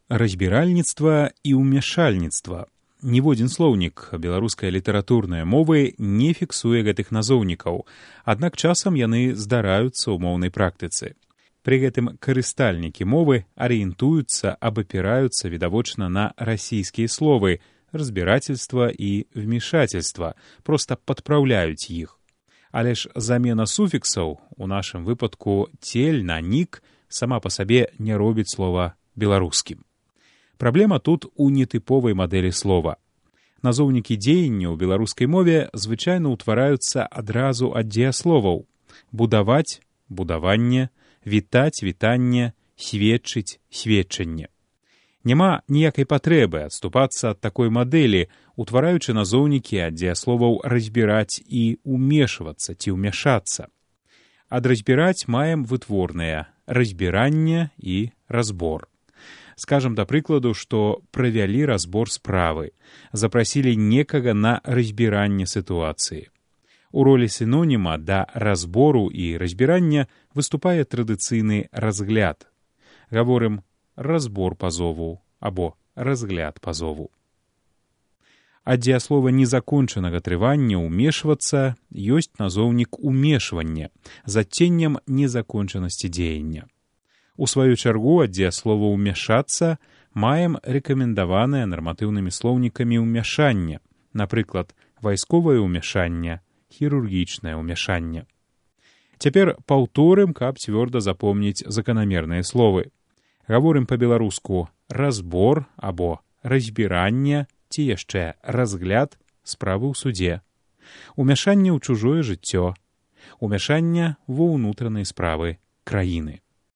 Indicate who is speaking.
Speaker 1: Разбіральніцтва і ўмяшальніцтва. Ніводзін слоўнік беларускай літаратурнай мовы не фіксуе гэтых назоўнікаў, аднак часам яны здараюцца ў моўнай практыцы. Пры гэтым карыстальнікі мовы арыентуюцца, абапіраюцца відавочна на расійскія словы «разбірательства» і «вмешательства», проста падпраўляюць іх. Але ж замена суфіксаў, у нашым выпадку «цель» на «нік», сама па сабе не робіць слова беларускім. Праблема тут у нетыповай мадэлі слова. Назоўнікі дзеяння ў беларускай мове звычайна ўтвараюцца адразу ад дзеясловаў: будаваць — будаванне, вітаць — вітанне, сведчыць — сведчанне. Няма ніякай патрэбы адступацца ад такой мадэлі, утвараючы назоўнікі ад дзеясловаў разбіраць і ўмешвацца ці ўмяшацца. Ад разбіраць маем вытворныя разбіранне і разбор. Скажам, да прыкладу, што правялі разбор справы, запрасілі некага на разбіранне сітуацыі. У ролі сіноніма да разбору і разбірання выступае традыцыйны разгляд. Гаворым «разбор пазову» або «разгляд пазову». Ад дзеяслова незакончанага трывання «умешвацца» ёсць назоўнік «умешвання» з адценнем незакончанасці дзеяння. У сваю чаргу ад дзеяслова «умяшацца» маем рэкамендаванае нарматыўнымі слоўнікамі ўмяшання, напрыклад, вайсковае ўмяшанне, хірургічнае ўмяшанне. Цяпер паўторым, каб цвёрда запомніць заканамерныя словы. Гаворым па-беларуску «разбор» або «разбіранне» ці яшчэ «разгляд» справы ў судзе, ўмяшанне ў чужое жыццё, ўмяшанне ва ўнутраныя справы краіны.